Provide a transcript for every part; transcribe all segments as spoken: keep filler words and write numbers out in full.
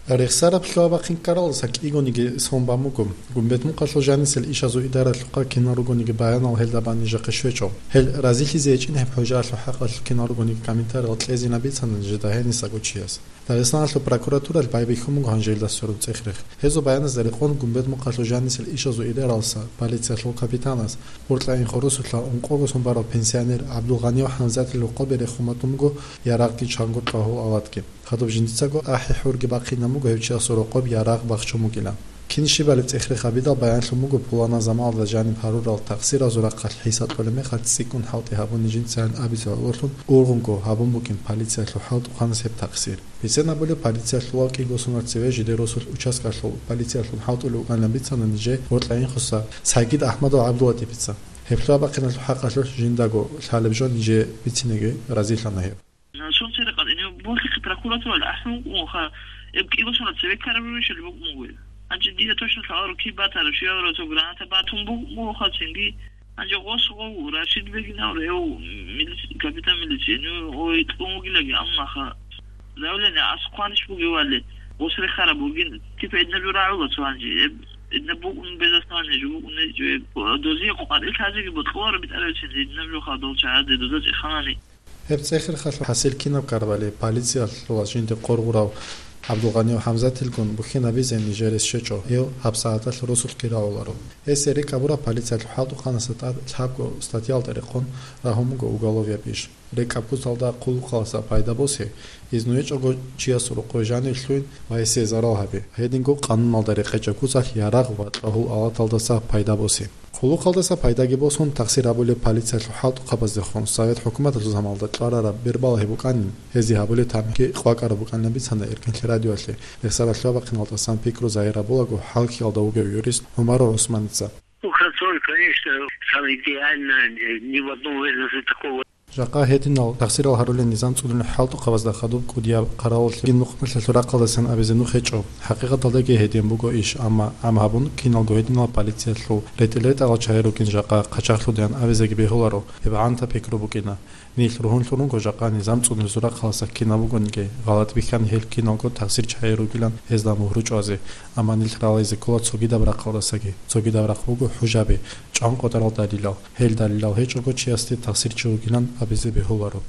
Рехсараб лъугьа-бахъин ккаралдаса кӀигониги сон бан буго. Гумбетмухъалъул жанисел ишазул идаралъухъа кинал ругониги баянал гьелда бан нижехъе щвечӀо. Гьел разилъизе гьечӀин гьеб хӀужаялъул хӀакъалъулъ кинал ругониги комментариял кьезина бицана нижеда гьенисаго чияс. Дагъистаналъул прокуратуралъ байбихьун буго гьанже гьелда сверун цӀех-рех. Гьезул баяназда рекъон Гумбетмухъалъул жанисел ишазул идаралдаса полициялъул капитанас Уртлаин хурусулъа ункъого сон барав пенсионер ГӀабдулгъанияв ХӀамзатил рокъобе рехун батун буго ярагъги чанго кьвагьул алатги. Хадуб жиндицаго ахӀи-хӀурги бахъинаб буго гьев чиясул рокъоб ярагъ бахчун букӀилан. Кин щибали цӀех-рех гьабидал баянлъун буго пуланаб заманалда жаниб гьарурал такъсиразул рахъалъ хӀисаб кьолеб мехалъ цӀикӀкӀун хӀалтӀи гьабуни жинца гьаниб абизе гӀололъун ургъунго гьабун букӀин полициялъул хӀалтӀухъанас гьеб такъсир. Бицен абулеб, полициялъулав кӀиго сонал цеве жидер росулъ участкалъул полициялъун хӀалтӀулев вукӀанилан бицана нижее Уртлаин хуса Сагид Ахмадов ГӀабдулатипица. Гьеб лъугьа-бахъиналъул хӀакъалъулъ жиндаго лъалеб жо нижее бициниги разилъана гьев. Сунцерекъад, гьенив борхихъе прокуратуралда ахӀун вукӀунха, гьеб кӀиго сонал цеве ккараб рурищали букӀун буго. Гьанже дида точно лъаларо киб батараб, щибаб цо граната батун букӀун бугоха цинги. Гьанже гъос гъов Рашид Бегинав гьев милици-, капитан милиции, гьенив ой кьун вугилаги, амма ха заявление асухъанищ бугевали, гъос рехараб бугин, типа, гьединаб жо рагӀула цо гьанже, гьеб, гьединаб букӀун безасмани жо букӀун гьечӀо, гьеб, дозие къварил лъазеги бокьуларо битӀарабцин, гьединаб жо хадув чагӀазде доза цӀеханани. Гьеб цӀех-рехалъул хӀасил кинаб ккарабали, полициялъулас жинде къор гъурав ГӀабдулгъанияв ХӀамзатилгун бухьинабизе нижер рес щвечӀо, гьев гьабсагӀаталъ росулъги рагӀуларо. Гьесие рекӀкӀ гьабураб полициялъул хӀалтӀухъанасда тӀад лъабго статьялда рекъон рагьун буго уголовияб иш. РекӀкӀаб куцалда хъулухъалдаса пайда босе, изну гьечӀого чиясул рокъове жанив лъугьин ва гьесие зарал гьабе, гьединго къануналда рекъечӀеб куцалъ ярагъ ва кьвагьул алаталдаса пайда босе. Хъулухъалдаса пайдаги босун, такъсир гьабулеб полициялъул хӀалтӀухъабаздехун совет хӀукуматалъул заманалда кьварараб бербал гьеб букӀанин, гьезие гьабулеб тамихӀги къвакӀараб букӀанилан бицана Эркинлъи радиоялъе. Рехсараб лъугьа-бахъиналдасан пикру загьир гьабулаго хӀалхьиялда вугев юрист ГӀумару ГӀусманица. Ну, контроль, конечно, самое идеальное, э, ни в одном ведомстве такого. Жакъа гьединал такъсирал гьарулел низам цӀунулел хӀалтӀухъабазда хадуб кӀудияб хъаралъ кин нухмалъалъул рахъалдасан абизе нух гьечӀо. ХӀакъикъаталдаги гьедин буго иш, амма гӀам гьабун киналго гьединал полициялъул ретӀел-ретӀарал чагӀи ругин жакъа хъачагълъудаян абизеги бегьуларо, гьеб гӀанта пикру букӀина. Нилъ ругьунлъун руго жакъа низам цӀунулезул рахъалдаса кинаб бугониги, гъалатӀ бихьани гьел киналго такъсир чагӀи ругилан гьезда мугьру чӀвазе, амма нилъ ралайзе ккола цогидаб рахъалдасаги, цогидаб рахъ буго хӀужаби, чӀван къотӀарал далилал. Гьел далилал гьечӀого чиясде такъсир чи вугилан абизе бегьуларо.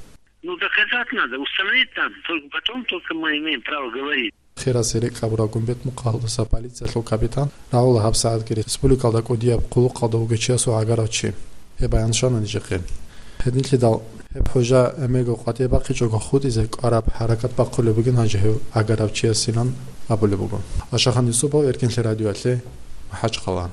Ну, доказать надо, установить там, только потом только мы имеем право говорить. Хирасде рекӀкӀ гьабураб Гумбетмухъалдаса полициялъул капитан рагӀула гьабсагӀатги республикалда кӀудияб хъулухъалда вугев чиясул гӀагарав чи. Гьеб баян щвана нижехъе. Гьединлъидал гьеб хӀужа гӀемерго къватӀибе бахъичӀого хутӀизе кӀвараб хӀаракат бахъулеб бугин гьанже гьев гӀагарав чиясилан абулеб буго. Ашахан Юсупов, Эркинлъи радиоялъе, МахӀачхъала.